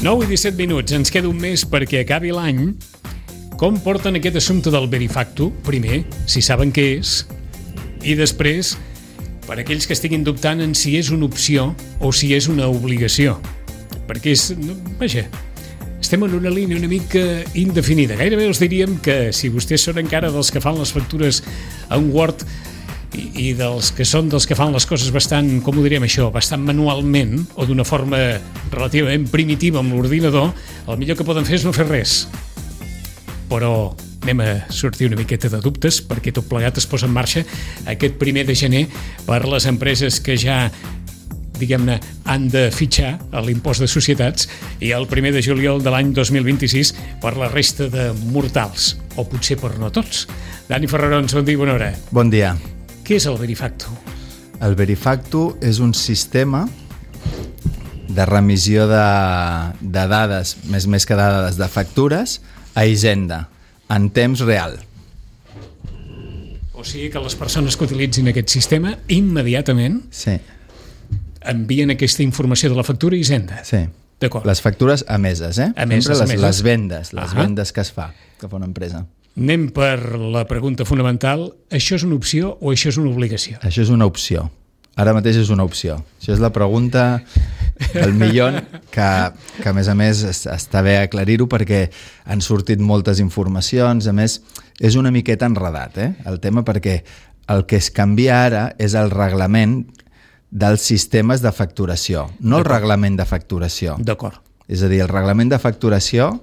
9 i 17 minuts, ens queda un mes perquè acabi l'any. Com porten aquest assumpte del Verifacto? Primer, si saben què és, i després, per aquells que estiguin dubtant en si és una opció o si és una obligació. Perquè és... Vaja, estem en una línia una mica indefinida. Gairebé els diríem que si vostès són encara dels que fan les factures en Word i dels que són dels que fan les coses bastant, com ho diríem això, bastant manualment o d'una forma relativament primitiva amb l'ordinador, el millor que poden fer és no fer res. Però anem a sortir una miqueta de dubtes perquè tot plegat es posa en marxa aquest 1 de gener per les empreses que ja, diguem-ne, han de fitxar a l'impost de societats i el 1 de juliol de l'any 2026 per la resta de mortals, o potser per no tots. Dani Ferrarons, bon dia i bona hora. Bon dia. Què és el Verifacto? El Verifacto és un sistema de remissió de dades, més que dades, de factures a Hisenda, en temps real. O sigui que les persones que utilitzin aquest sistema immediatament envien aquesta informació de la factura a Hisenda. Sí. D'acord. Les factures emeses, Emeses. Les vendes, vendes que es fa, que fa una empresa. Anem per la pregunta fonamental. Això és una opció o això és una obligació? Això és una opció. Ara mateix és una opció. Això és la pregunta del milió que a més està bé aclarir-ho perquè han sortit moltes informacions. A més, és una miqueta enredat, el tema, perquè el que es canvia ara és el reglament dels sistemes de facturació, no el reglament de facturació. D'acord. És a dir, el reglament de facturació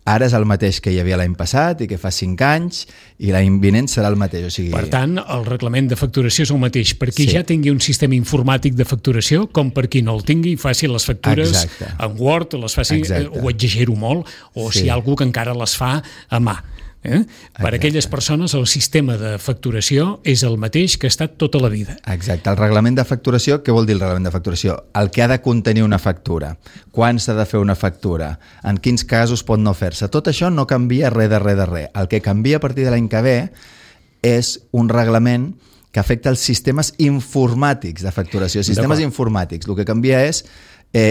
ara és el mateix que hi havia l'any passat i que fa 5 anys i l'any vinent serà el mateix. O sigui... Per tant, el reglament de facturació és el mateix. Per qui ja tingui un sistema informàtic de facturació, com per qui no el tingui, faci les factures en Word, les faci, o exagero molt, o si hi ha algú que encara les fa a mà. Per a aquelles persones el sistema de facturació és el mateix que ha estat tota la vida. Exacte. El reglament de facturació, què vol dir el reglament de facturació? El que ha de contenir una factura, quan s'ha de fer una factura, en quins casos pot no fer-se. Tot això no canvia res de res. El que canvia a partir de l'any que ve és un reglament que afecta els sistemes informàtics de facturació. Sistemes informàtics. El que canvia és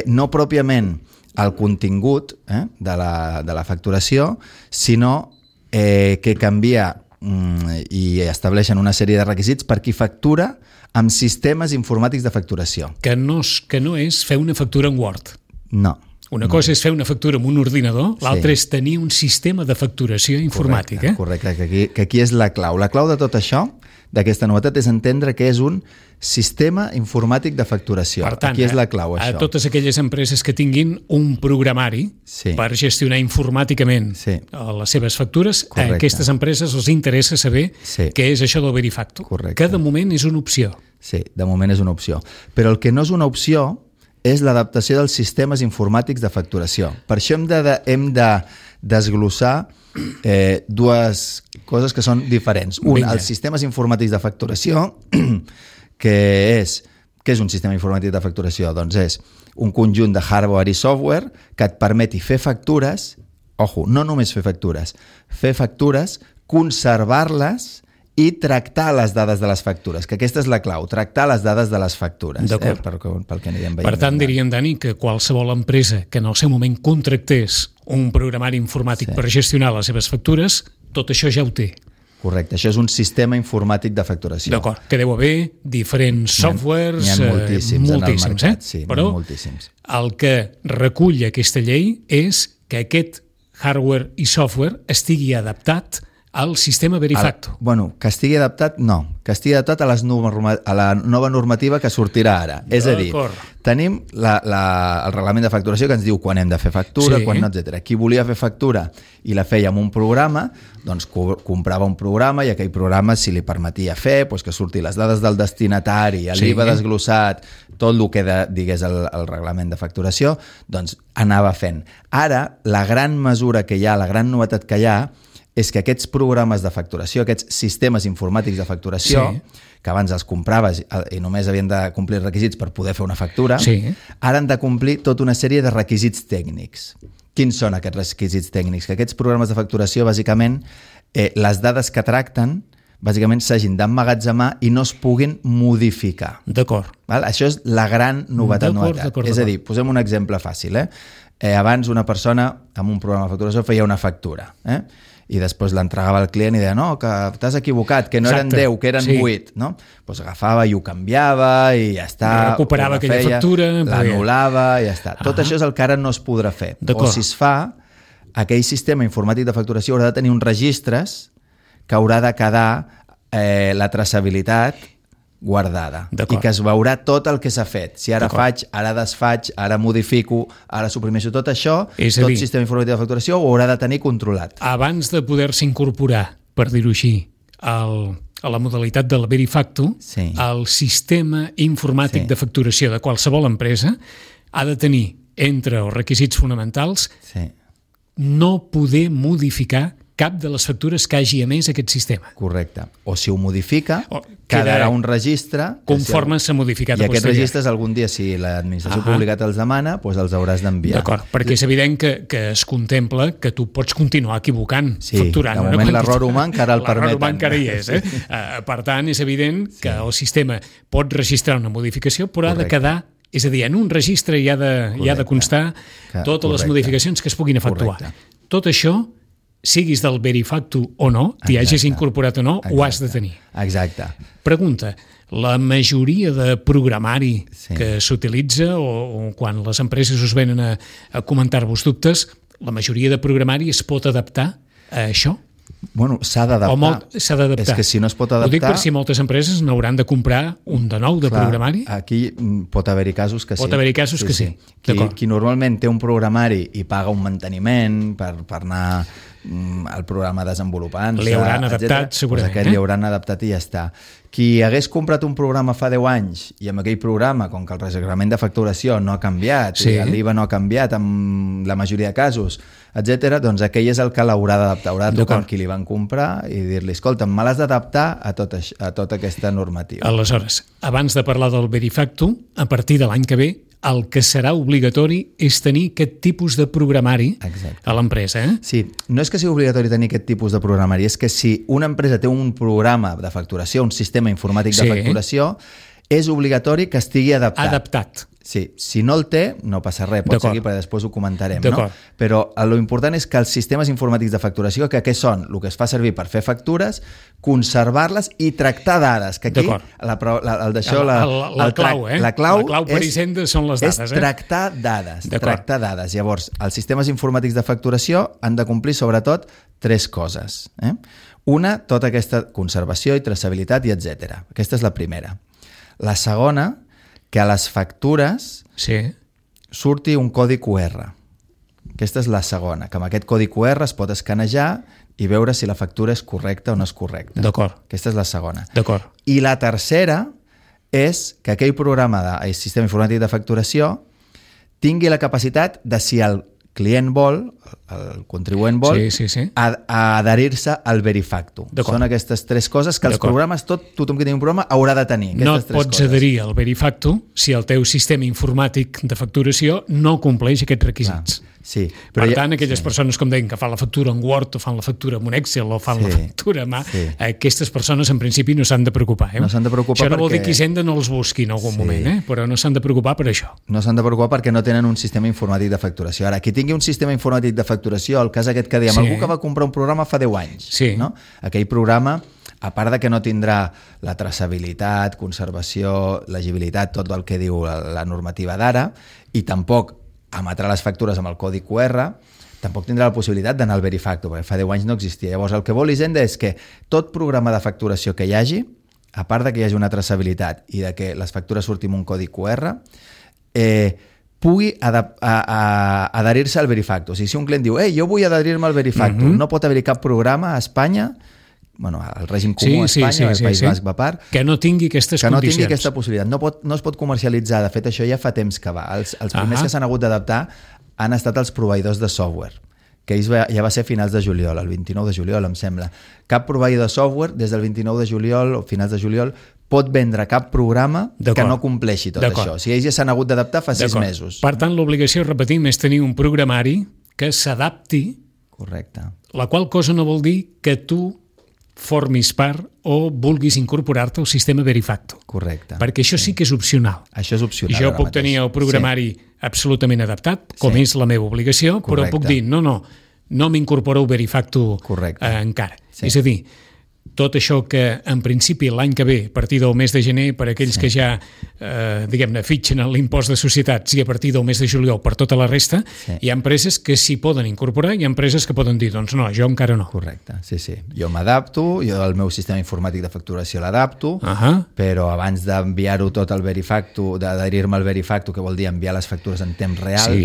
no pròpiament el contingut de la facturació, sinó que canvia i estableixen una sèrie de requisits per qui factura amb sistemes informàtics de facturació. Que no és fer una factura en Word. No. Una cosa és fer una factura amb un ordinador, l'altra és tenir un sistema de facturació informàtic. Correcte, que aquí és la clau. La clau de tot això, d'aquesta novetat, és entendre que és un sistema informàtic de facturació. Per tant, aquí és la clau, això. A totes aquelles empreses que tinguin un programari per gestionar informàticament les seves factures, a aquestes empreses els interessa saber què és això del Verifacto, que de moment és una opció. Sí, de moment és una opció. Però el que no és una opció és l'adaptació dels sistemes informàtics de facturació. Per això hem de desglossar dues coses que són diferents. Un, els sistemes informàtics de facturació, què és un sistema informàtic de facturació? Doncs és un conjunt de hardware i software que et permeti fer factures, no només fer factures, conservar-les i tractar les dades de les factures, que aquesta és la clau, tractar les dades de les factures. Pel que anirem veient. Per tant, diríem, Dani, que qualsevol empresa que en el seu moment contractés un programari informàtic per gestionar les seves factures, tot això ja ho té. Correcte, això és un sistema informàtic de facturació. D'acord, que deu haver diferents softwares, n'hi ha moltíssims en el mercat, però el que recull aquesta llei és que aquest hardware i software estigui adaptat al sistema Verifacto. Que estigui adaptat, no. Que estigui adaptat a la nova normativa que sortirà ara. És a dir, tenim el reglament de facturació que ens diu quan hem de fer factura, quan no, etc. Qui volia fer factura i la feia amb un programa, doncs comprava un programa i aquell programa, si li permetia fer, que surti les dades del destinatari, l'IVA desglossat, tot el que digués el reglament de facturació, doncs anava fent. Ara, la gran mesura que hi ha, la gran novetat que hi ha, és que aquests programes de facturació, aquests sistemes informàtics de facturació, que abans els compraves i només havien de complir requisits per poder fer una factura, ara han de complir tota una sèrie de requisits tècnics. Quins són aquests requisits tècnics? Que aquests programes de facturació, bàsicament, les dades que tracten bàsicament s'hagin d'emmagatzemar i no es puguin modificar. D'acord. Això és la gran novetat. És a dir, posem un exemple fàcil. Abans una persona amb un programa de facturació feia una factura, i després l'entregava al client i deia no, que t'has equivocat, que no eren 10, que eren 8, no? Pues agafava i ho canviava i ja està. Recuperava aquella factura. L'anul·lava i ja està. Tot això és el que ara no es podrà fer. O si es fa, aquell sistema informàtic de facturació haurà de tenir uns registres que haurà de quedar la traçabilitat guardada i que es veurà tot el que s'ha fet. Si ara faig, ara desfaig, ara modifico, ara suprimeixo tot això, tot sistema informàtic de facturació ho haurà de tenir controlat. Abans de poder-se incorporar, per dir-ho així, a la modalitat del Verifacto, el sistema informàtic de facturació de qualsevol empresa ha de tenir, entre els requisits fonamentals, no poder modificar cap de les factures que hagi emès aquest sistema. Correcte. O si ho modifica, quedarà un registre... Conforme s'ha modificat. I aquests registres algun dia, si l'administració pública te'ls demana, doncs els hauràs d'enviar. D'acord, perquè és evident que es contempla que tu pots continuar equivocant, facturant. Sí, de moment l'error humà encara el permeten. L'error humà encara hi és. Per tant, és evident que el sistema pot registrar una modificació, però ha de quedar... És a dir, en un registre hi ha de constar totes les modificacions que es puguin efectuar. Tot això, siguis del Verifacto o no, t'hi hagis incorporat o no, ho has de tenir. Exacte. Pregunta, la majoria de programari que s'utilitza o quan les empreses us venen a comentar-vos dubtes, la majoria de programari es pot adaptar a això? Bueno, s'ha d'adaptar. S'ha d'adaptar. És que si no es pot adaptar... Ho dic per si moltes empreses n'hauran de comprar un de nou de programari. Aquí pot haver-hi casos que sí. Pot haver-hi casos que sí. Qui normalment té un programari i paga un manteniment per anar al programa desenvolupant... Li hauran adaptat, segurament. Aquest li hauran adaptat i ja està. Qui hagués comprat un programa fa 10 anys i amb aquell programa, com que el reglament de facturació no ha canviat, i l'IVA no ha canviat en la majoria de casos, etc., doncs aquell és el que l'haurà d'adaptar. Haurà de trucar amb qui li van comprar i dir-li, escolta, me l'has d'adaptar a tota aquesta normativa. Aleshores, abans de parlar del Verifacto, a partir de l'any que ve, el que serà obligatori és tenir aquest tipus de programari a l'empresa. Sí, no és que sigui obligatori tenir aquest tipus de programari, és que si una empresa té un programa de facturació, un sistema informàtic de facturació, és obligatori que estigui adaptat. Sí, si no el té, no passa res, pot seguir perquè després ho comentarem, no? Però l'important és que els sistemes informàtics de facturació, que què són? El que es fa servir per fer factures, conservar-les i tractar dades, que aquí la clau per Hisenda són les dades. És tractar dades. Llavors, els sistemes informàtics de facturació han de complir sobretot 3 coses. Una, tota aquesta conservació i traçabilitat i etc. Aquesta és la primera. La segona, que a les factures surti un codi QR. Aquesta és la segona, que amb aquest codi QR es pot escanejar i veure si la factura és correcta o no és correcta. Aquesta és la segona. I la tercera és que aquell programa del sistema informàtic de facturació tingui la capacitat de, si el client vol, el contribuent vol, adherir-se al Verifacto. Són aquestes 3 coses que els programes, tothom que tingui un programa haurà de tenir. No et pots adherir al Verifacto si el teu sistema informàtic de facturació no compleix aquests requisits. Per tant, aquelles persones, com deien, que fan la factura en Word o fan la factura en un Excel o fan la factura a mà, aquestes persones en principi no s'han de preocupar. No s'han de preocupar això no vol dir que Hisenda no els busqui en algun moment, però no s'han de preocupar per això. No s'han de preocupar perquè no tenen un sistema informàtic de facturació. Ara, qui tingui un sistema informàtic de facturació, el cas aquest que dèiem, algú que va comprar un programa fa 10 anys, aquell programa, a part de que no tindrà la traçabilitat, conservació, legibilitat, tot el que diu la normativa d'ara, i tampoc emetrà les factures amb el codi QR, tampoc tindrà la possibilitat d'anar al Verifacto, perquè fa 10 anys no existia. Llavors, el que vol Hisenda és que tot programa de facturació que hi hagi, a part de que hi hagi una traçabilitat i de que les factures surtin amb un codi QR, pugui adherir-se al Verifacto. O sigui, si un client diu, jo vull adherir-me al Verifacto, no pot haver-hi cap programa a Espanya, el règim comú a Espanya, el País Basc va part, que no tingui aquestes condicions. Que no tingui aquesta possibilitat. No es pot comercialitzar. De fet, això ja fa temps que va. Els primers que s'han hagut d'adaptar han estat els proveïdors de software, que ja va ser a finals de juliol, el 29 de juliol, em sembla. Cap proveïdor de software, des del 29 de juliol o finals de juliol, pot vendre cap programa que no compleixi tot això. O sigui, ells ja s'han hagut d'adaptar fa 6 mesos. Per tant, l'obligació, repetim, és tenir un programari que s'adapti, correcte. La qual cosa no vol dir que tu formis part o vulguis incorporar-te al sistema Verifacto. Correcte. Perquè això sí que és opcional. Això és opcional. Jo puc tenir el programari absolutament adaptat, com és la meva obligació, però puc dir, no m'incorporo al Verifacto encara. Sí. És a dir, tot això que en principi l'any que ve, a partir del mes de gener, per aquells que ja, diguem-ne, fitxen l'impost de societats i a partir del mes de juliol per tota la resta, hi ha empreses que s'hi poden incorporar i hi ha empreses que poden dir, doncs no, jo encara no. Correcte, sí. Jo m'adapto, jo el meu sistema informàtic de facturació l'adapto, però abans d'enviar-ho tot al Verifacto, d'adherir-me al Verifacto, que vol dir enviar les factures en temps real,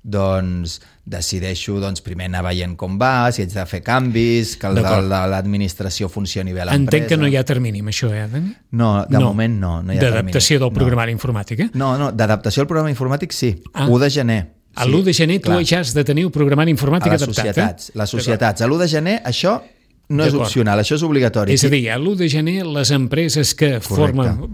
doncs decideixo primer anar veient com va, si haig de fer canvis, que l'administració funcioni bé a l'empresa. Entenc que no hi ha termini amb això, Dani? No, de moment no hi ha termini. D'adaptació del programari informàtic, No, d'adaptació al programa informàtic sí, 1 de gener. A l'1 de gener tu ja has de tenir el programari informàtic adaptat. Les societats. A l'1 de gener això no és opcional, això és obligatori. És a dir, a l'1 de gener les empreses que formen,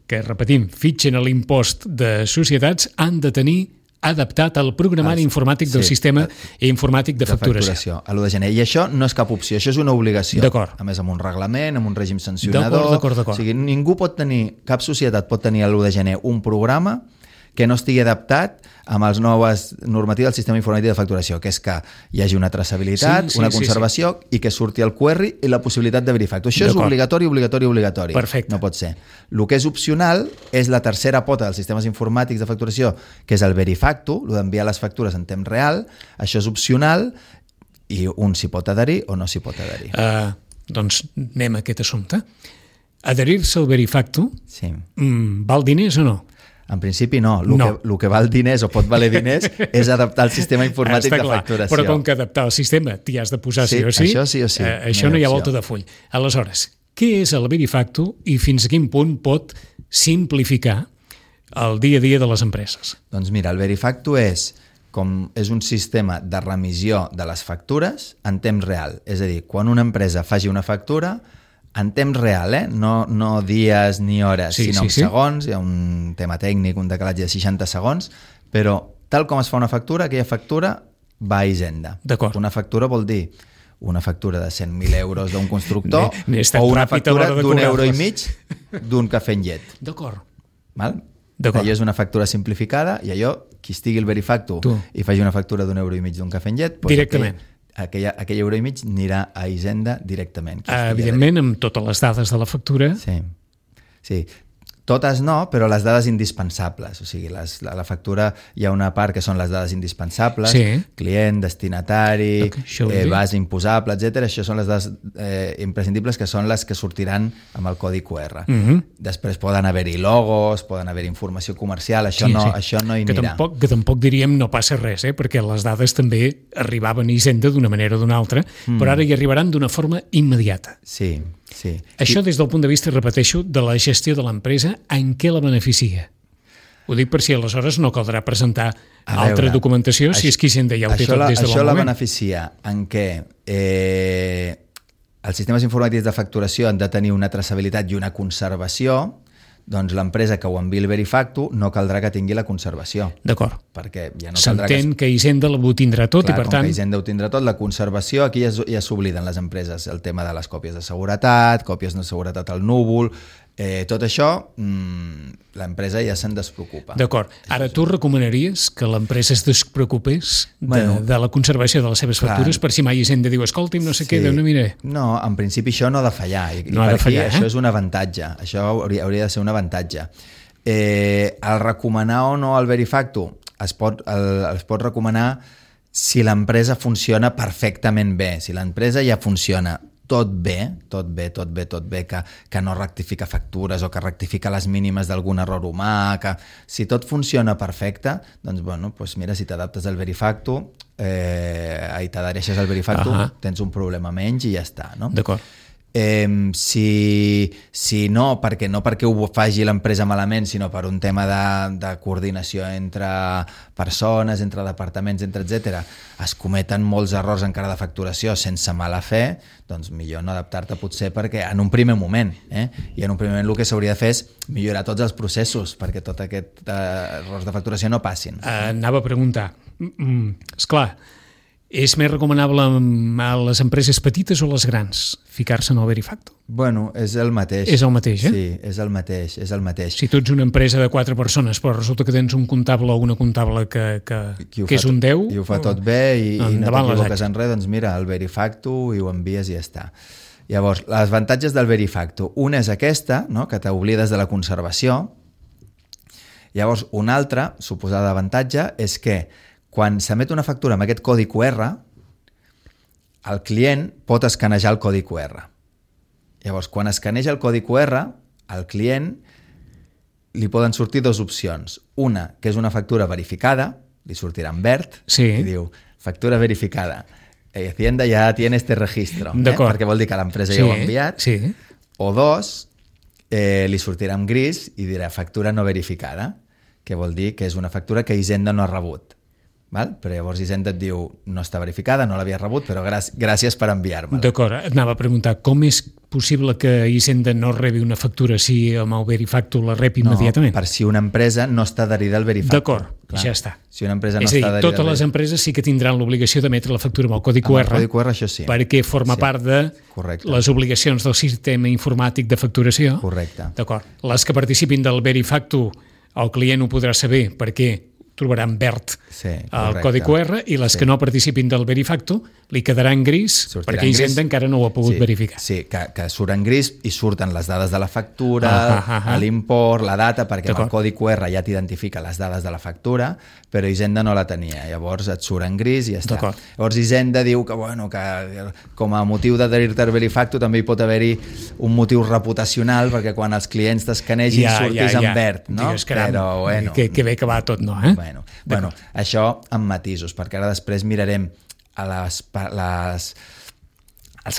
que repetim, fitxen a l'impost de societats han de tenir adaptat al programari informàtic del sistema informàtic de facturació. A l'1 de gener. I això no és cap opció, això és una obligació. A més, amb un reglament, amb un règim sancionador. D'acord. O sigui, ningú pot tenir, cap societat pot tenir a l'1 de gener un programa que no estigui adaptat amb les noves normatives del sistema informàtic de facturació, que és que hi hagi una traçabilitat, una conservació i que surti el query i la possibilitat de Verifacto. Això és obligatori. Perfecte. No pot ser. El que és opcional és la tercera pota dels sistemes informàtics de facturació, que és el Verifacto, el d'enviar les factures en temps real. Això és opcional i un s'hi pot adherir o no s'hi pot adherir. Doncs anem a aquest assumpte. Adherir-se al Verifacto val diners o no? En principi no. El que val diners o pot valer diners és adaptar el sistema informàtic de facturació. Però com que adaptar el sistema t'hi has de posar sí o sí, això sí o sí. Això no hi ha volta de full. Aleshores, què és el Verifacto i fins a quin punt pot simplificar el dia a dia de les empreses? Doncs mira, el Verifacto és un sistema de remissió de les factures en temps real. És a dir, quan una empresa faci una factura, en temps real, no dies ni hores, sinó en segons, hi ha un tema tècnic, un decalatge de 60 segons, però tal com es fa una factura, aquella factura va a Hisenda. D'acord. Una factura vol dir una factura de 100.000 euros d'un constructor o una factura d'1,5 d'un cafè amb llet. D'acord. Allò és una factura simplificada i allò, qui estigui al Verifacto i faci una factura d'1,5 d'un cafè amb llet, directament. Aquell €1,5 anirà a Hisenda directament. Evidentment, amb totes les dades de la factura. Sí. Totes no, però les dades indispensables. O sigui, la factura hi ha una part que són les dades indispensables, client, destinatari, base imposable, etc. Això són les dades imprescindibles, que són les que sortiran amb el codi QR. Després poden haver-hi logos, poden haver-hi informació comercial, això no hi anirà. Que tampoc diríem no passa res, perquè les dades també arribaven a Hisenda d'una manera o d'una altra, però ara hi arribaran d'una forma immediata. Sí. Això des del punt de vista, repeteixo, de la gestió de l'empresa, en què la beneficia? Ho dic per si aleshores no caldrà presentar altra documentació, si és que Hisenda ja ho té tot des de bon moment. Això la beneficia en què els sistemes informàtics de facturació han de tenir una traçabilitat i una conservació. Doncs l'empresa que ho enviï el Verifacto no caldrà que tingui la conservació. D'acord. Perquè ja no caldrà s'entén que Hisenda ho tindrà tot i per tant... Com que Hisenda ho tindrà tot, la conservació, aquí ja s'obliden les empreses, el tema de les còpies de seguretat, còpies de seguretat al núvol, tot això l'empresa ja se'n despreocupa. D'acord. Ara tu recomanaries que l'empresa es despreocupés de la conservació de les seves factures per si mai Hisenda diu escolti'm, no sé què, no miré. No, en principi això no ha de fallar. No ha de fallar, això és un avantatge. Això hauria de ser un avantatge. El recomanar o no el Verifacto es pot recomanar si l'empresa funciona perfectament bé. Si l'empresa ja funciona tot bé, que no rectifica factures o que rectifica les mínimes d'algun error humà, que si tot funciona perfecte, doncs mira, si t'adaptes al Verifacto i t'adhereixes al Verifacto, tens un problema menys i ja està, no? D'acord. Si no perquè ho faci l'empresa malament, sinó per un tema de coordinació entre persones, entre departaments, etc., es cometen molts errors encara de facturació sense mala fe, doncs millor no adaptar-te potser perquè en un primer moment, i en un primer moment el que s'hauria de fer és millorar tots els processos perquè tots aquests errors de facturació no passin. Anava a preguntar, esclar, És més recomanable a les empreses petites o les grans ficar-se en el Verifacto? Bueno, és el mateix. És el mateix, Sí, és el mateix. Si tu ets una empresa de 4 persones, però resulta que tens un comptable o una comptable que és un 10... I ho fa tot bé i no t'equivoques en res, doncs mira, el Verifacto i ho envies i ja està. Llavors, les avantatges del Verifacto. Una és aquesta, no?, que t'oblides de la conservació. Llavors, un altre, suposada avantatge, és que quan s'emet una factura amb aquest codi QR, el client pot escanejar el codi QR. Llavors, quan escaneja el codi QR, al client li poden sortir dues opcions. Una, que és una factura verificada, li sortirà en verd, i diu, factura verificada. Hacienda ja tiene este registro, perquè vol dir que l'empresa ja ho ha enviat. O dos, li sortirà en gris i dirà factura no verificada, que vol dir que és una factura que Hisenda no ha rebut. Val? Però llavors Hisenda et diu no està verificada, no l'havia rebut, però gràcies per enviar-me-la. D'acord, et anava a preguntar com és possible que Hisenda no rebi una factura si amb el Verifacto la rep immediatament? No, per si una empresa no està adherida al Verifacto. D'acord, ja està. Si una empresa no és a dir, està adherida totes les empreses sí que tindran l'obligació d'emetre la factura amb el codi QR, amb el codi QR, això sí. perquè forma part de les obligacions del sistema informàtic de facturació. Correcte. D'acord. Les que participin del Verifacto, el client ho podrà saber perquè trobaran verd el codi QR, i les que no participin del Verifacto li quedarà en gris perquè Hisenda encara no ho ha pogut verificar. Sí, que surt en gris i surten les dades de la factura, l'import, la data, perquè amb el codi QR ja t'identifica les dades de la factura, però Hisenda no la tenia. Llavors et surt en gris i ja està. Llavors Hisenda diu que com a motiu d'adherir-te al Verifacto també hi pot haver-hi un motiu reputacional, perquè quan els clients t'escanegin surtis en verd. Però bueno... Que bé que va tot, no? Bueno, això amb matisos, perquè ara després mirarem els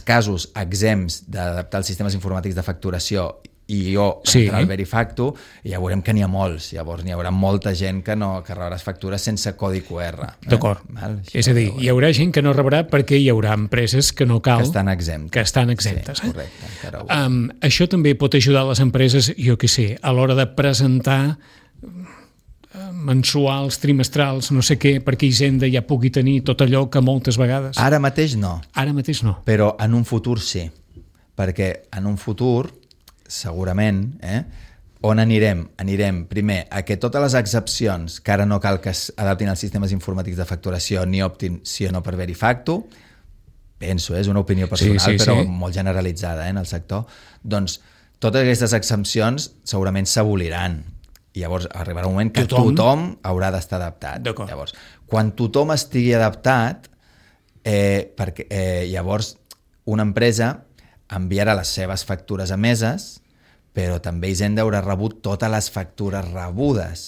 casos exempts d'adaptar els sistemes informàtics de facturació i entrar al Verifacto, i ja veurem que n'hi ha molts. Llavors n'hi haurà molta gent que rebràs factures sense codi QR. D'acord. És a dir, hi haurà gent que no rebrà perquè hi haurà empreses que no cal... Que estan exemptes. Sí, correcte. Això també pot ajudar a les empreses, jo què sé, a l'hora de presentar mensuals, trimestrals, no sé què, perquè Hisenda ja pugui tenir tot allò que moltes vegades... Ara mateix no. Però en un futur sí. Perquè en un futur, segurament, on anirem? Anirem primer a que totes les excepcions que ara no cal que s'adaptin als sistemes informàtics de facturació ni optin sí o no per Verifacto, penso, és una opinió personal, però molt generalitzada en el sector, doncs totes aquestes exempcions segurament s'aboliran. I llavors arribarà un moment que tothom haurà d'estar adaptat. Llavors, quan tothom estigui adaptat, llavors una empresa enviarà les seves factures emeses, però també Hisenda haurà rebut totes les factures rebudes.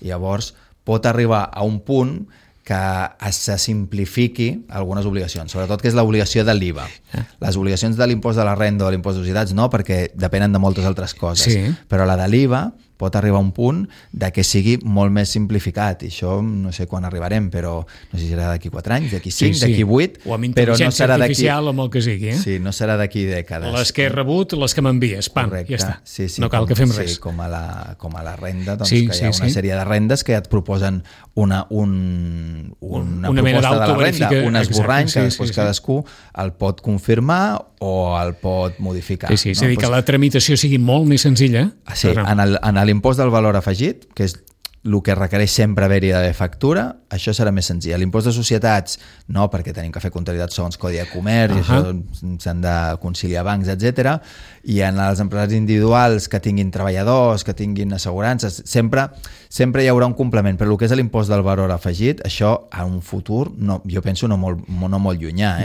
Llavors pot arribar a un punt que se simplifiqui algunes obligacions, sobretot que és l'obligació de l'IVA. Les obligacions de l'impost de la renda o de l'impost de societats no, perquè depenen de moltes altres coses, però la de l'IVA pot arribar a un punt de que sigui molt més simplificat, i això no sé quan arribarem, però no sé si serà d'aquí 4 anys, d'aquí 5, d'aquí 8, o amb intel·ligència artificial o amb el que sigui. Sí, no serà d'aquí dècades. Les que he rebut, les que m'envies, pam, ja està. No cal que fem res. Sí, com a la renda, doncs que hi ha una sèrie de rendes que ja et proposen una proposta de la renda, un esborrany que després cadascú el pot confirmar o el pot modificar. Sí, és a dir, que la tramitació sigui molt més senzilla. Sí, en l'impost del valor afegit, que és el que requereix sempre haver-hi de factura, això serà més senzill. L'impost de societats, no, perquè tenim que fer comptabilitat segons Codi de Comerç, i això s'han de conciliar bancs, etc. I en els empresaris individuals que tinguin treballadors, que tinguin assegurances, sempre hi haurà un complement, però el que és l'impost del valor afegit, això en un futur, jo penso no molt llunyà,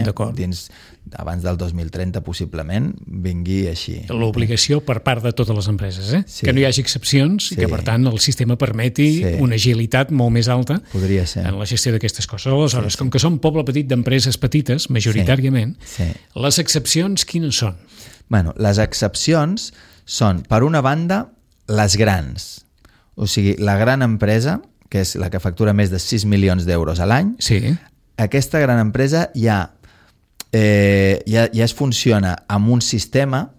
abans del 2030 possiblement vingui així. L'obligació per part de totes les empreses, que no hi hagi excepcions i que per tant el sistema permeti una agilitat molt més alta en la gestió d'aquestes coses. Aleshores, com que som poble petit d'empreses petites, majoritàriament, les excepcions quines són? Bueno, les excepcions són, per una banda, les grans. O sigui, la gran empresa, que és la que factura més de 6 milions d'euros a l'any, aquesta gran empresa ja es funciona amb un sistema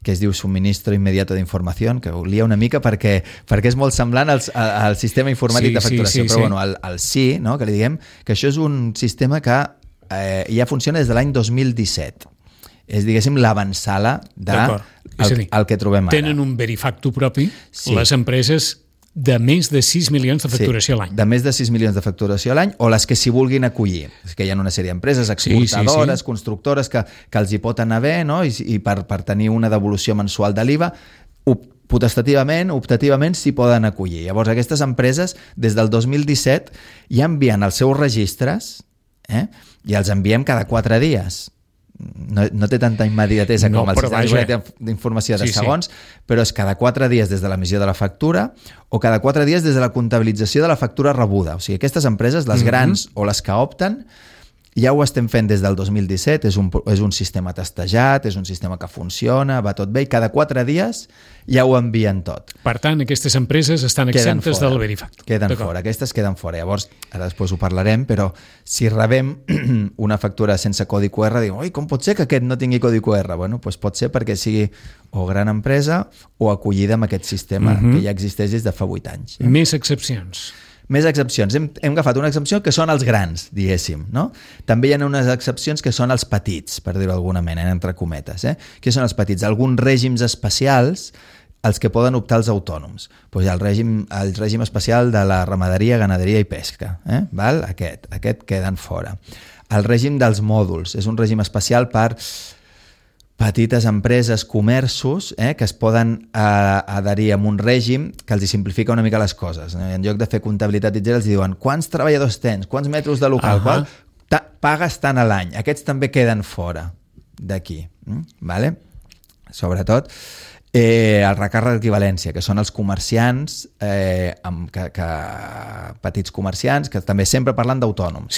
que es diu Suministro Inmediato d'Informació, que ho lia una mica perquè és molt semblant al sistema informàtic de facturació, però bueno, el SI, no? Que li diguem que això és un sistema que ja funciona des de l'any 2017. És, diguéssim, l'avantsala del que trobem ara. Tenen un Verifactu propi, les empreses de més de 6 milions de facturació a l'any. De més de 6 milions de facturació a l'any, o les que s'hi vulguin acollir. És que hi ha una sèrie d'empreses exportadores, constructores, que els hi pot anar bé, no? I per tenir una devolució mensual de l'IVA, optativament s'hi poden acollir. Llavors, aquestes empreses, des del 2017, ja envien els seus registres, i els enviem cada 4 dies. No té tanta immediatesa com el sistema d'informació de segons, però és cada 4 dies des de l'emissió de la factura o cada 4 dies des de la comptabilització de la factura rebuda. O sigui, aquestes empreses, les grans o les que opten, ja ho estem fent des del 2017, és un sistema testejat, és un sistema que funciona, va tot bé, i cada 4 dies ja ho envien tot. Per tant, aquestes empreses estan exemptes del Verifactu. Queden fora, aquestes queden fora. Llavors, ara després ho parlarem, però si rebem una factura sense codi QR, diu, oi, com pot ser que aquest no tingui codi QR? Bueno, doncs pot ser perquè sigui o gran empresa o acollida amb aquest sistema que ja existeix des de fa 8 anys. Més excepcions. Més excepcions. Hem agafat una excepció que són els grans, diguéssim, no? També hi ha unes excepcions que són els petits, per dir-ho d'alguna manera, entre cometes. Què són els petits? Alguns règims especials als que poden optar els autònoms. Doncs hi ha el règim especial de la ramaderia, ganaderia i pesca. Val? Aquest queden fora. El règim dels mòduls és un règim especial per petites empreses, comerços, que es poden adherir a un règim que els simplifica una mica les coses. En lloc de fer comptabilitat i els diuen quants treballadors tens, quants metres de local, pagues tant a l'any. Aquests també queden fora d'aquí. Vale? Sobretot el recàrrec d'equivalència, que són els comerciants, petits comerciants, que també sempre parlen d'autònoms,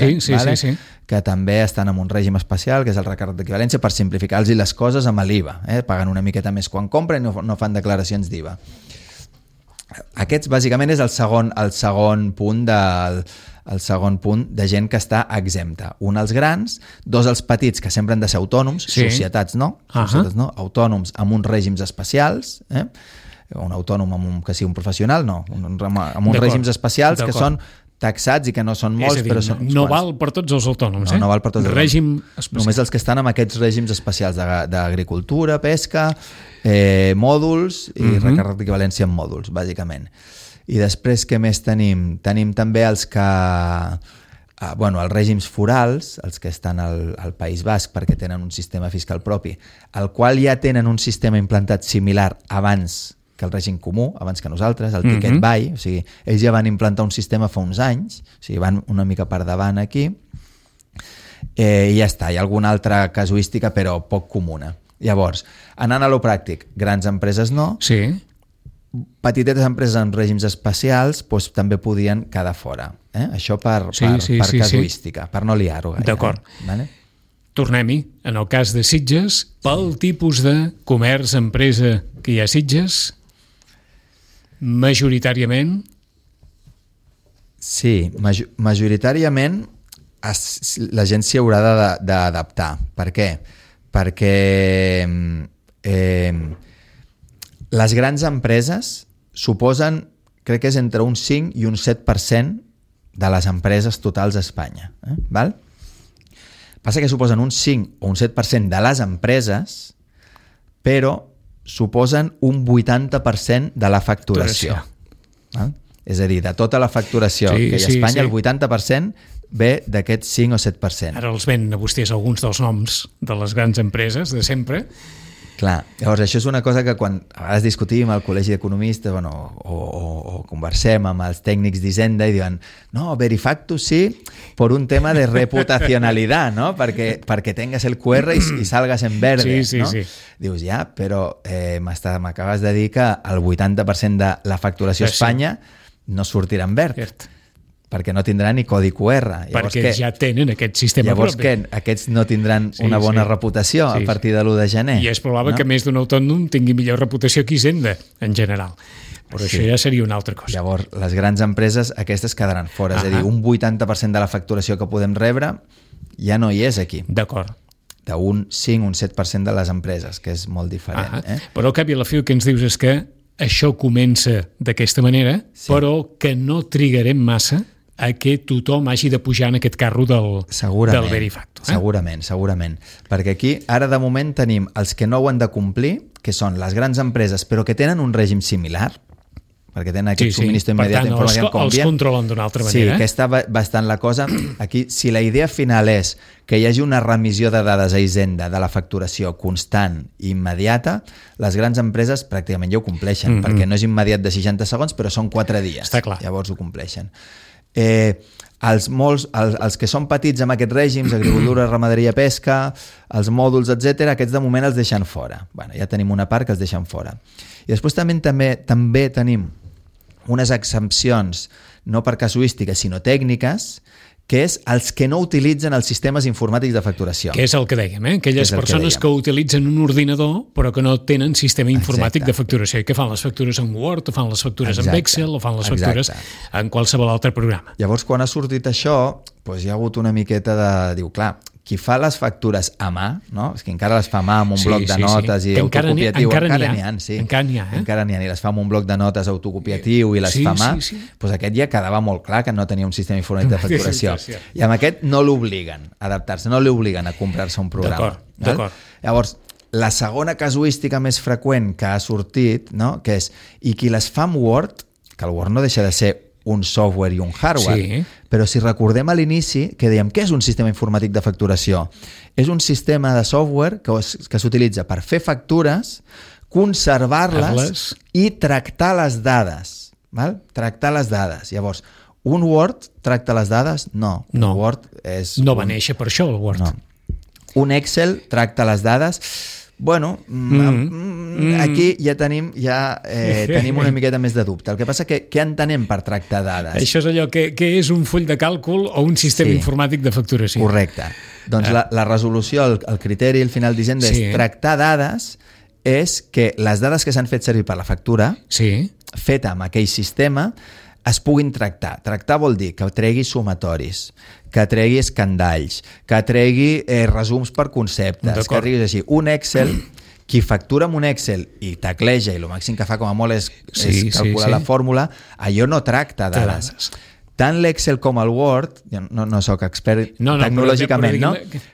que també estan en un règim especial, que és el recàrrec d'equivalència, per simplificar-los les coses amb l'IVA. Paguen una miqueta més quan compren i no fan declaracions d'IVA. Aquests, bàsicament, és el segon punt de gent que està exempta. Un, els grans, dos, els petits, que sempre han de ser autònoms, societats no, autònoms amb uns règims especials, un autònom que sigui un professional, no, amb uns règims especials que són taxats i que no són molts, però són uns no val per tots els autònoms, no val per tots els règim especial. Només els que estan amb aquests règims especials d'agricultura, pesca, mòduls i recàrrec d'equivalència en mòduls, bàsicament. I després, què més tenim? Tenim també els que... els règims forals, els que estan al País Basc perquè tenen un sistema fiscal propi, el qual ja tenen un sistema implantat similar abans que el règim comú, abans que nosaltres, el Ticket Buy, o sigui, ells ja van implantar un sistema fa uns anys, o sigui, van una mica per davant aquí, i ja està, hi ha alguna altra casuística, però poc comuna. Llavors, anant a lo pràctic, grans empreses no, petitetes empreses amb règims especials també podien quedar fora. Això per casuística, per no liar-ho gaire. D'acord. Tornem-hi. En el cas de Sitges, pel tipus de comerç, empresa que hi ha a Sitges, majoritàriament? Sí, majoritàriament la gent s'hi haurà d'adaptar. Per què? Perquè les grans empreses suposen, crec que és entre un 5 i un 7% de les empreses totals a Espanya. Val? Passa que suposen un 5 o un 7% de les empreses, però suposen un 80% de la facturació. És a dir, de tota la facturació que hi ha a Espanya, el 80% ve d'aquest 5 o 7%. Ara els ven a vostès alguns dels noms de les grans empreses de sempre. Clar, llavors això és una cosa que quan a vegades discutim al col·legi d'economistes o conversem amb els tècnics d'Hisenda i diuen, no, Verifactu sí, per un tema de reputacionalidad, ¿no? Perquè tengas el QR y salgas en verde, ¿no? Dius, ja, però m'acabes de dir que el 80% de la facturació a Espanya no sortirà en verd. Perquè no tindran ni codi QR. Perquè ja tenen aquest sistema propi. Llavors què? Aquests no tindran una bona reputació a partir de l'1 de gener. I és probable que més d'un autònom tingui millor reputació que Hisenda, en general. Però això ja seria una altra cosa. Llavors, les grans empreses, aquestes quedaran fora. És a dir, un 80% de la facturació que podem rebre ja no hi és aquí. D'acord. afecta un 5, un 7% de les empreses, que és molt diferent. Però al cap i a la fi el que ens dius és que això comença d'aquesta manera, però que no trigarem massa a que tothom hagi de pujar en aquest carro del Verifacto. Segurament. Perquè aquí, ara de moment, tenim els que no ho han de complir, que són les grans empreses, però que tenen un règim similar, perquè tenen aquest subministre immediat d'informació com els controlen d'una altra manera. Sí, que està bastant la cosa. Aquí, si la idea final és que hi hagi una remissió de dades a Hisenda de la facturació constant i immediata, les grans empreses pràcticament ja ho compleixen, perquè no és immediat de 60 segons, però són 4 dies. Està clar. Llavors ho compleixen. Els que són petits amb aquests règims, agricultura, ramaderia, pesca, els mòduls, etc., aquests de moment els deixen fora. Bueno, ja tenim una part que els deixen fora. I després també tenim unes exempcions, no per casuística, sinó tècniques, que és els que no utilitzen els sistemes informàtics de facturació. Que és el que dèiem, aquelles persones que utilitzen un ordinador però que no tenen sistema informàtic de facturació i que fan les factures en Word o fan les factures en Excel o fan les factures en qualsevol altre programa. Llavors, quan ha sortit això, doncs hi ha hagut una miqueta de... Diu, clar, qui fa les factures a mà, no? És que encara les fa a mà amb un bloc de notes i autocopiatiu. Encara n'hi ha. Encara n'hi ha, i les fa amb un bloc de notes autocopiatiu i les fa a mà. Doncs aquest ja quedava molt clar que no tenia un sistema informàtic de facturació. I amb aquest no l'obliguen a adaptar-se, no l'obliguen a comprar-se un programa. D'acord. Llavors, la segona casuística més freqüent que ha sortit, no? Que és, i qui les fa amb Word, que el Word no deixa de ser un software i un hardware, però si recordem a l'inici que dèiem què és un sistema informàtic de facturació? És un sistema de software que s'utilitza per fer factures, conservar-les i tractar les dades. Val? Tractar les dades. Llavors, un Word tracta les dades? No. Word és no va néixer per això, el Word. No. Un Excel tracta les dades... Bueno, aquí ja tenim una miqueta més de dubte. El que passa que què entenem per tractar dades? Això és allò que és un full de càlcul o un sistema informàtic de facturació. Correcte. Doncs la resolució, el criteri al final d'Hisenda és tractar dades, és que les dades que s'han fet servir per la factura, feta amb aquell sistema, es puguin tractar. Tractar vol dir que tregui sumatoris, que tregui escandalls, que tregui resums per conceptes, que treguis així. Un Excel, qui factura amb un Excel i tecleja, i el màxim que fa com a molt és calcular la fórmula, allò no tracta dades. Tant l'Excel com el Word, no soc expert tecnològicament,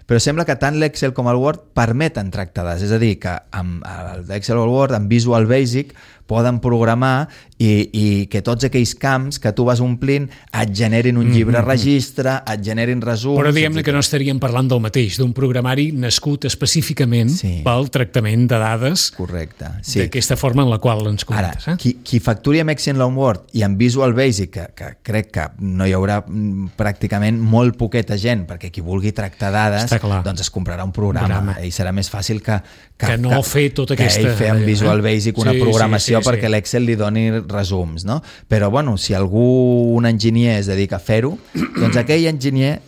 però sembla que tant l'Excel com el Word permeten tractar dades. És a dir, que amb l'Excel o el Word, amb Visual Basic, poden programar i que tots aquells camps que tu vas omplint et generin un llibre registre, et generin resums... Però diguem-ne que no estaríem parlant del mateix, d'un programari nascut específicament pel tractament de dades d'aquesta forma en la qual ens comentes. Ara, qui facturi amb Excel o amb Word i amb Visual Basic, que crec que no hi haurà pràcticament molt poqueta gent, perquè qui vulgui tractar dades, doncs es comprarà un programa i serà més fàcil que no fer tota aquesta... Que ell fer amb Visual Basic una programació perquè l'Excel li doni resums, no? Però, bueno, si un enginyer es dedica a fer-ho, doncs aquell enginyer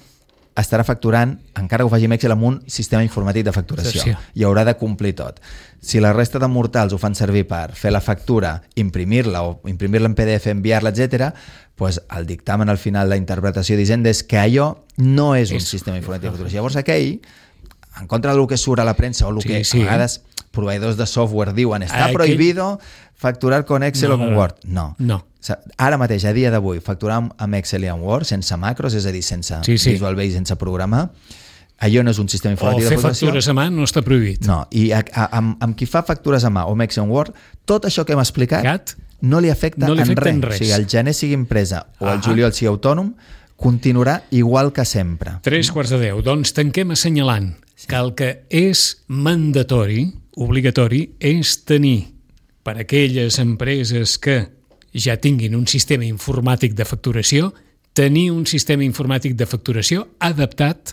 estarà facturant, encara que ho faci amb Excel, amb un sistema informàtic de facturació. I haurà de complir tot. Si la resta de mortals ho fan servir per fer la factura, imprimir-la o imprimir-la en PDF, enviar-la, etc., doncs el dictamen al final, la interpretació d'Hisenda és que allò no és un sistema informàtic de facturació. Llavors aquell, en contra del que surt a la premsa o el que a vegades proveïdors de software diuen està prohibido facturar con Excel o con Word. No. Ara mateix, a dia d'avui, facturar amb Excel i amb Word sense macros, és a dir, sense Visual Basic, sense programar, allò no és un sistema informàtic de facturació. O fer factures a mà no està prohibit. No, i amb qui fa factures a mà o amb Excel o Word, tot això que hem explicat no li afecta en res. O sigui, el gener sigui empresa o el juliol sigui autònom, continuarà igual que sempre. 9:45. Doncs tanquem assenyalant que el que és mandatori, obligatori, és tenir per a aquelles empreses que ja tinguin un sistema informàtic de facturació, tenir un sistema informàtic de facturació adaptat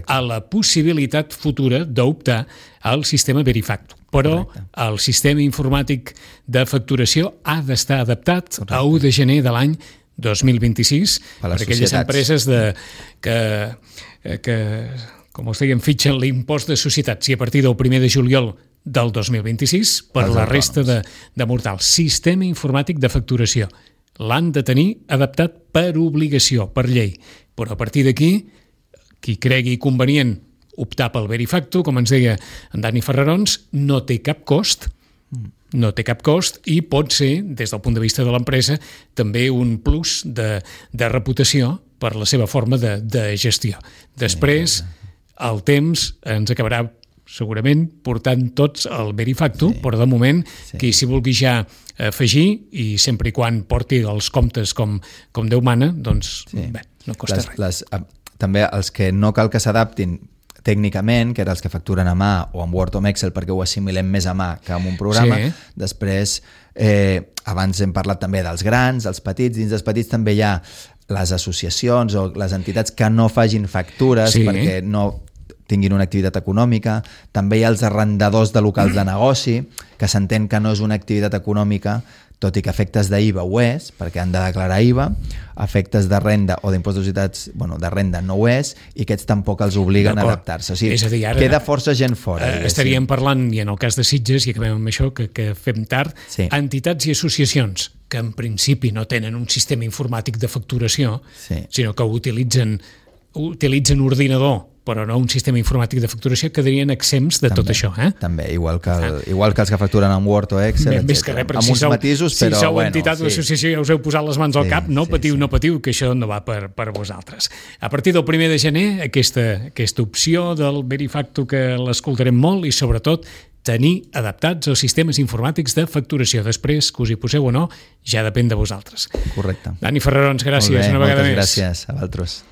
a la possibilitat futura d'optar al sistema Verifacto. Però el sistema informàtic de facturació ha d'estar adaptat a 1 de gener de l'any 2026 per aquelles empreses que com us deien, fitxen l'impost de societats i a partir del 1 de juliol del 2026 per la resta de mortals. Sistema informàtic de facturació. L'han de tenir adaptat per obligació, per llei. Però a partir d'aquí, qui cregui convenient optar pel Verifacto, com ens deia en Dani Ferrarons, no té cap cost, i pot ser, des del punt de vista de l'empresa, també un plus de reputació per la seva forma de gestió. Després, el temps ens acabarà segurament portant tots el Verifacto, però de moment, qui s'hi vulgui ja afegir, i sempre i quan porti els comptes com Déu mana, doncs bé, no costa res. També els que no cal que s'adaptin tècnicament, que eren els que facturen a mà o amb Word o amb Excel, perquè ho assimilem més a mà que amb un programa. Després, abans hem parlat també dels grans, dels petits. Dins dels petits també hi ha les associacions o les entitats que no facin factures perquè no tinguin una activitat econòmica. També hi ha els arrendadors de locals de negoci, que s'entén que no és una activitat econòmica, tot i que efectes d'IVA ho és, perquè han de declarar IVA, efectes de renda o d'impost de societats, de renda no ho és, i aquests tampoc els obliguen a adaptar-se. O sigui, és a dir, ara, queda força gent fora. Estaríem parlant, i en el cas de Sitges, i acabem amb això, que fem tard, entitats i associacions que en principi no tenen un sistema informàtic de facturació, sinó que utilitzen ordinador, però no un sistema informàtic de facturació, quedarien exempts de tot això. També, igual que els que facturen amb Word o Excel, etc. Amb uns matisos, però... Si sou entitat o associació i ja us heu posat les mans al cap, no patiu, que això no va per vosaltres. A partir del 1 de gener, aquesta opció del Verifacto, que l'escoltarem molt, i sobretot tenir adaptats els sistemes informàtics de facturació. Després, que us hi poseu o no, ja depèn de vosaltres. Correcte. Dani Ferrarons, gràcies una vegada més. Moltes gràcies a vosaltres.